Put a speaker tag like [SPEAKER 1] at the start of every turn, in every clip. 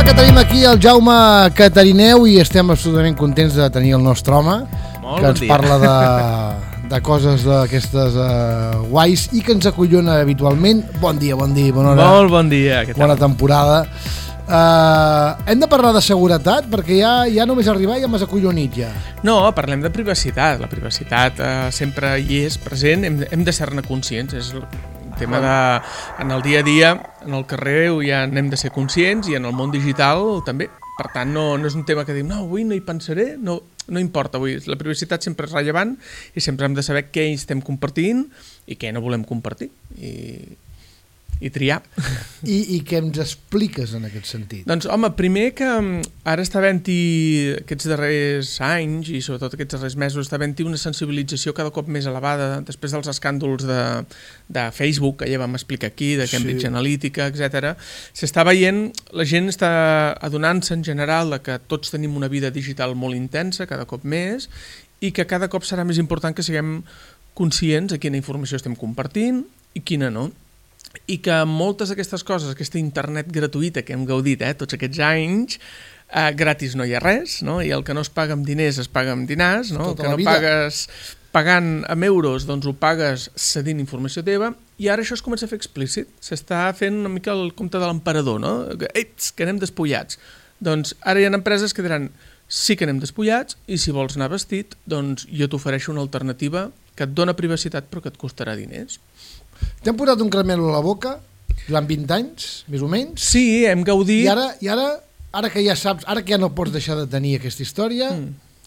[SPEAKER 1] que tenim aquí el Jaume Catarineu i estem absolutament contents de tenir el nostre home que ens parla de coses d'aquestes guais i que ens acollona habitualment. Bon dia, bona hora.
[SPEAKER 2] Molt bon dia, què tal?
[SPEAKER 1] Bona temporada. Hem de parlar de seguretat perquè ja només arribar ja m'has acollonit ja.
[SPEAKER 2] No, parlem de privacitat. La privacitat sempre hi és present, hem de ser-ne conscients, és el tema de, en el dia a dia, en el carrer ja n'hem de ser conscients i en el món digital també. Per tant, no és un tema que diu, no, avui no hi pensaré, no importa, avui la privacitat sempre és rellevant i sempre hem de saber què estem compartint i què no volem compartir i triar.
[SPEAKER 1] I què ens expliques en aquest sentit?
[SPEAKER 2] Doncs, home, primer que ara està havent-hi aquests darrers anys i sobretot aquests darrers mesos està havent-hi una sensibilització cada cop més elevada després dels escàndols de Facebook, que ja vam explicar aquí, de Cambridge Analytica, etc. S'està veient, la gent està adonant-se en general que tots tenim una vida digital molt intensa, cada cop més, i que cada cop serà més important que siguem conscients de quina informació estem compartint i quina no. I que moltes d'aquestes coses, aquesta internet gratuïta que hem gaudit tots aquests anys, gratis no hi ha res, no? I el que no es paga amb diners es paga amb dinars, no? El que no pagues pagant amb euros, doncs ho pagues cedint informació teva, i ara això es comença a fer explícit. S'està fent una mica el compte de l'emperador, no? Que anem despullats. Doncs ara hi ha empreses que diran sí que anem despullats i si vols anar vestit, doncs jo t'ofereixo una alternativa que et dona privacitat però que et costarà diners.
[SPEAKER 1] T'hem posat un caramel a la boca durant 20 anys, més o menys.
[SPEAKER 2] Sí, hem gaudit.
[SPEAKER 1] I ara que ja saps, ara que ja no pots deixar de tenir aquesta història,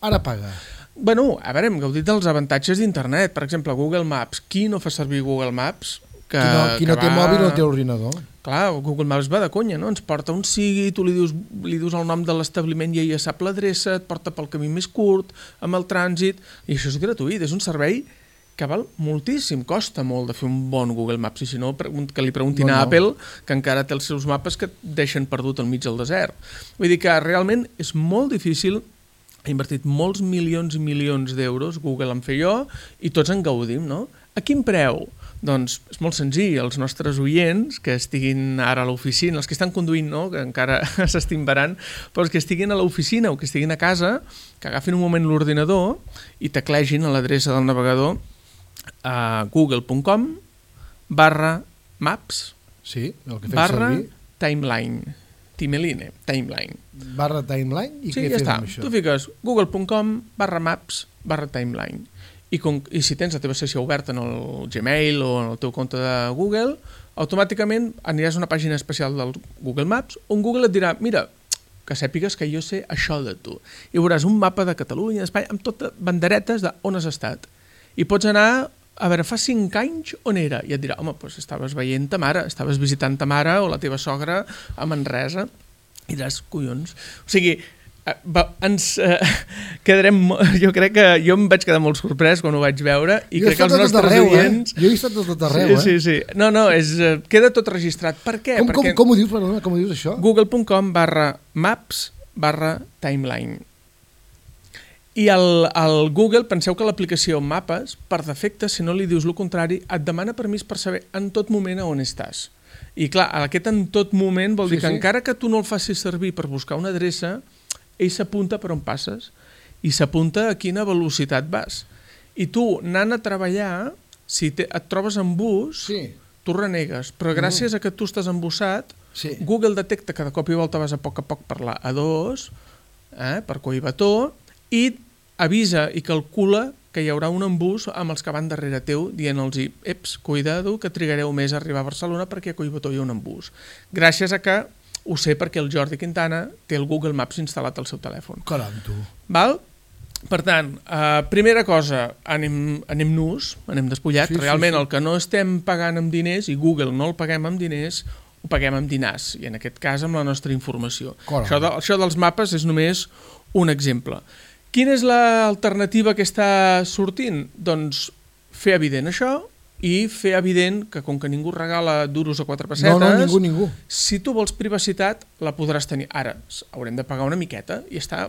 [SPEAKER 1] ara paga.
[SPEAKER 2] Bueno, a veure, hem gaudit dels avantatges d'internet. Per exemple, Google Maps. Qui no fa servir Google Maps?
[SPEAKER 1] Qui no té mòbil no té ordinador.
[SPEAKER 2] Clar, Google Maps va de conya, no? Ens porta on sigui, tu li dius el nom de l'establiment i ella sap l'adreça, et porta pel camí més curt, amb el trànsit, i això és gratuït, és un servei que val moltíssim, costa molt de fer un bon Google Maps, i si no, que li preguntin a Apple, que encara té els seus mapes que et deixen perdut al mig del desert. Vull dir que realment és molt difícil, ha invertit molts milions i milions d'euros, Google en fer jo, i tots en gaudim, no? A quin preu? Doncs és molt senzill, els nostres oients que estiguin ara a l'oficina, els que estan conduint, no? Que encara s'estimbaran, però els que estiguin a l'oficina o que estiguin a casa, que agafin un moment l'ordinador i teclegin a l'adreça del navegador a google.com/maps /timeline timeline
[SPEAKER 1] /timeline i
[SPEAKER 2] sí,
[SPEAKER 1] què
[SPEAKER 2] ja
[SPEAKER 1] fes
[SPEAKER 2] està.
[SPEAKER 1] amb això?
[SPEAKER 2] Tu fiques google.com/maps /timeline i si tens la teva sessió oberta en el Gmail o en el teu compte de Google, automàticament aniràs a una pàgina especial del Google Maps on Google et dirà, mira, que sàpigues que jo sé això de tu, i veuràs un mapa de Catalunya, d'Espanya, amb totes banderetes d'on has estat. I pots anar, a veure, fa 5 anys on era? I et dirà, home, doncs estaves veient ta mare, estaves visitant ta mare o la teva sogra a Manresa. I diràs, collons. O sigui, ens quedarem... Jo crec que jo em vaig quedar molt sorprès quan ho vaig veure i crec que els nostres oients...
[SPEAKER 1] Jo he estat tot arreu,
[SPEAKER 2] Sí. No, queda tot registrat. Per què?
[SPEAKER 1] Com ho dius, perdona, com ho dius això?
[SPEAKER 2] google.com/maps /timeline. I al Google, penseu que l'aplicació Mapes, per defecte, si no li dius el contrari, et demana permís per saber en tot moment on estàs. I clar, aquest en tot moment vol dir que encara que tu no el facis servir per buscar una adreça, ell s'apunta per on passes i s'apunta a quina velocitat vas. I tu, anant a treballar, si et trobes en bus, tu renegues, però gràcies a que tu estàs embussat, Google detecta que de cop i volta vas a poc per la A2, per Collbató, i avisa i calcula que hi haurà un embús amb els que van darrere teu dient-los, eps, cuidado, que trigareu més a arribar a Barcelona perquè a Collbató hi ha un embús. Gràcies a que ho sé perquè el Jordi Quintana té el Google Maps instal·lat al seu telèfon.
[SPEAKER 1] Caram, tu.
[SPEAKER 2] Val? Per tant, primera cosa, anem nus, anem despullats. Realment el que no estem pagant amb diners, i Google no el paguem amb diners, ho paguem amb dinars, i en aquest cas amb la nostra informació. Això dels mapes és només un exemple. Quina és l'alternativa que està sortint? Doncs fer evident això i fer evident que com que ningú regala duros a 4 pessetes,
[SPEAKER 1] ningú.
[SPEAKER 2] Si tu vols privacitat la podràs tenir. Ara haurem de pagar una miqueta i està...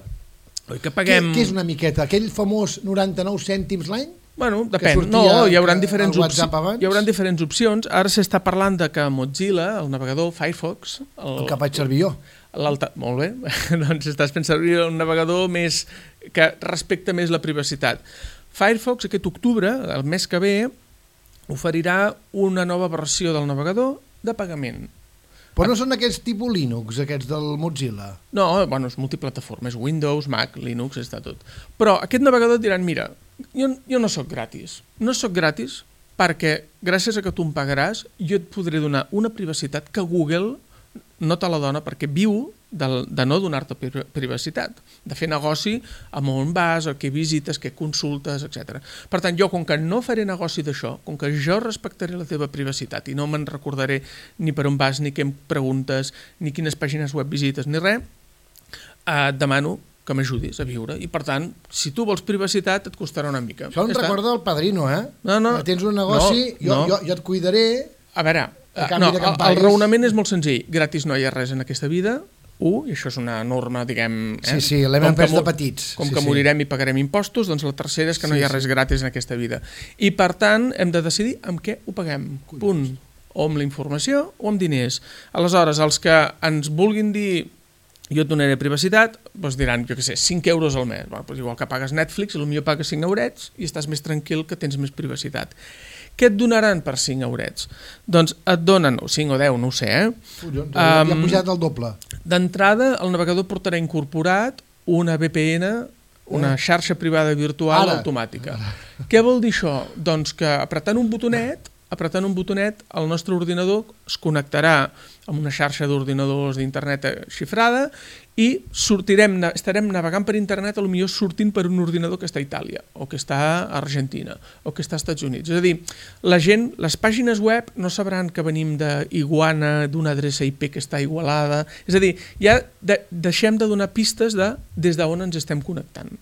[SPEAKER 2] Oi que paguem...
[SPEAKER 1] Què és una miqueta? Aquell famós 99 cèntims l'any?
[SPEAKER 2] Bueno, depèn. No, hi haurà diferents opcions. Ara s'està parlant de que Mozilla, el navegador Firefox...
[SPEAKER 1] El que vaig servir jo.
[SPEAKER 2] Molt bé, doncs estàs fent servir un navegador més que respecta més la privacitat. Firefox aquest octubre, el mes que ve, oferirà una nova versió del navegador de pagament.
[SPEAKER 1] Però no són aquests tipus Linux, aquests del Mozilla?
[SPEAKER 2] No, bueno, és multiplataforma, és Windows, Mac, Linux, està tot. Però aquest navegador et diran, mira, jo no sóc gratis. No sóc gratis perquè gràcies a que tu em pagaràs jo et podré donar una privacitat que Google no te la dona perquè viu de no donar-te privacitat, de fer negoci amb on vas, què visites, què consultes, etc. Per tant, jo, com que no faré negoci d'això, com que jo respectaré la teva privacitat i no me'n recordaré ni per on vas, ni què em preguntes, ni quines pàgines web visites, ni res, et demano que m'ajudis a viure. I, per tant, si tu vols privacitat, et costarà una mica.
[SPEAKER 1] Això em recorda el Padrino, eh?
[SPEAKER 2] No.
[SPEAKER 1] Tens un negoci, jo et cuidaré...
[SPEAKER 2] A veure, el raonament és molt senzill. Gratis no hi ha res en aquesta vida. I això és una norma, diguem...
[SPEAKER 1] Sí, l'hem emprès de petits.
[SPEAKER 2] Com que morirem i pagarem impostos, doncs la tercera és que no hi ha res gratis en aquesta vida. I, per tant, hem de decidir amb què ho paguem. Punt. O amb la informació o amb diners. Aleshores, els que ens vulguin dir jo et donaré privacitat, doncs diran, jo què sé, 5 euros al mes. Doncs igual que pagues Netflix, potser pagues 5 eurets i estàs més tranquil que tens més privacitat. Què et donaran per 5 eurets? Doncs et donen, 5 o 10, no ho sé,
[SPEAKER 1] ja ha pujat el doble.
[SPEAKER 2] D'entrada, el navegador portarà incorporat una VPN, una xarxa privada virtual automàtica. Què vol dir això? Doncs que apretant un botonet, el nostre ordinador es connectarà amb una xarxa d'ordinadors d'internet xifrada i estarem navegant per internet, potser sortint per un ordinador que està a Itàlia, o que està a Argentina, o que està als Estats Units. És a dir, la gent, les pàgines web no sabran que venim d'Iguana, d'una adreça IP que està a Igualada. És a dir, ja deixem de donar pistes des d'on ens estem connectant.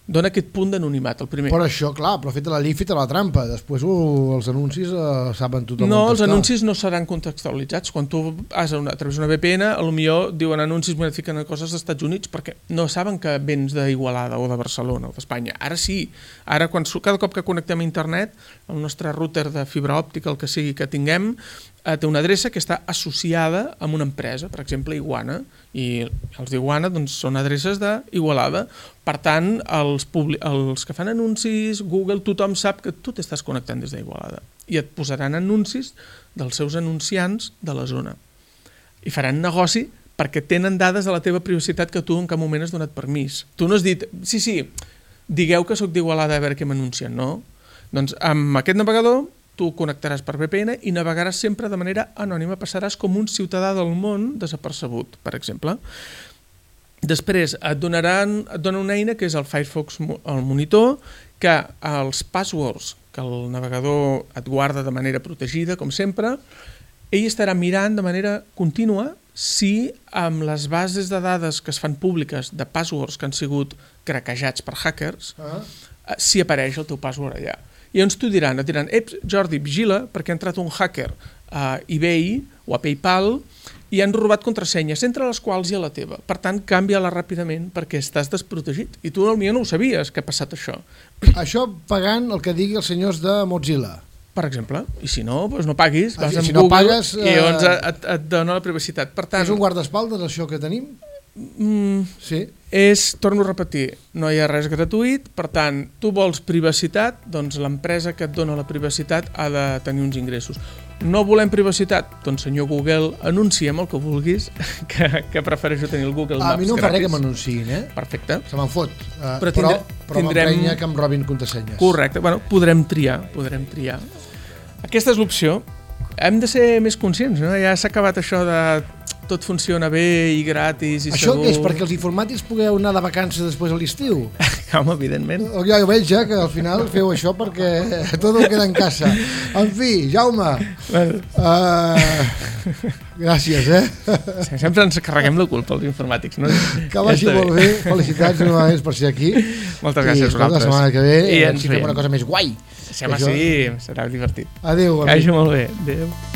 [SPEAKER 2] Dona aquest punt d'anonimat, el primer.
[SPEAKER 1] Però això, clar, però feta la llei, feta la trampa. Després els anuncis saben tothom on
[SPEAKER 2] està. No, els anuncis no seran contextualitzats. Quan tu vas a través d'una VPN, potser diuen anuncis i et fiquen coses dels Estats Units perquè no saben que vens d'Igualada o de Barcelona o d'Espanya. Ara sí. Ara, cada cop que connectem a internet, el nostre router de fibra òptica, el que sigui que tinguem, té una adreça que està associada amb una empresa, per exemple, Iguana, i els d'Iguana són adreces d'Igualada. Per tant, els que fan anuncis, Google, tothom sap que tu t'estàs connectant des d'Igualada i et posaran anuncis dels seus anunciants de la zona. I faran negoci perquè tenen dades de la teva privacitat que tu en cap moment has donat permís. Tu no has dit, sí, digueu que sóc d'Igualada a veure què m'anuncien, no? Doncs amb aquest navegador tu connectaràs per VPN i navegaràs sempre de manera anònima, passaràs com un ciutadà del món desapercebut, per exemple. Després et dona una eina que és el Firefox el monitor, que els passwords que el navegador et guarda de manera protegida, com sempre, ell estarà mirant de manera contínua si amb les bases de dades que es fan públiques de passwords que han sigut craquejats per hackers, si apareix el teu password allà. I llavors et diran, Jordi, vigila, perquè ha entrat un hacker a eBay o a PayPal i han robat contrasenyes, entre les quals hi ha la teva. Per tant, canvia-la ràpidament perquè estàs desprotegit. I tu potser no ho sabies, que ha passat això.
[SPEAKER 1] Això pagant el que digui els senyors de Mozilla.
[SPEAKER 2] Per exemple. I si no, doncs no paguis, vas amb Google i llavors et dona la privacitat. Per tant,
[SPEAKER 1] és un guardaespaldes, això que tenim? Sí.
[SPEAKER 2] Torno a repetir, no hi ha res gratuït, per tant, tu vols privacitat, doncs l'empresa que et dona la privacitat ha de tenir uns ingressos. No volem privacitat? Doncs senyor Google, anuncia'm el que vulguis, que prefereixo tenir el Google Maps gratis.
[SPEAKER 1] A mi no em fa res que m'anunciïn,
[SPEAKER 2] Perfecte.
[SPEAKER 1] Se me'n fot. Però m'emprenya que em robin contrasenyes.
[SPEAKER 2] Correcte, podrem triar. Aquesta és l'opció. Hem de ser més conscients, no? Ja s'ha acabat això de tot funciona bé i gratis i
[SPEAKER 1] això
[SPEAKER 2] segur.
[SPEAKER 1] Això és perquè els informàtics pugueu anar de vacances després a l'estiu?
[SPEAKER 2] Home, evidentment.
[SPEAKER 1] Jo ho veig, que al final feu això perquè tot queda en casa. En fi, Jaume, gràcies,
[SPEAKER 2] Sempre ens carreguem la culpa, els informàtics, no?
[SPEAKER 1] Que vagi molt bé, felicitats novament per ser aquí.
[SPEAKER 2] Moltes gràcies a vosaltres.
[SPEAKER 1] La setmana que ve ens fem una cosa més guai.
[SPEAKER 2] Sí, serà divertit.
[SPEAKER 1] Adéu.
[SPEAKER 2] Que vagi molt bé. Adéu.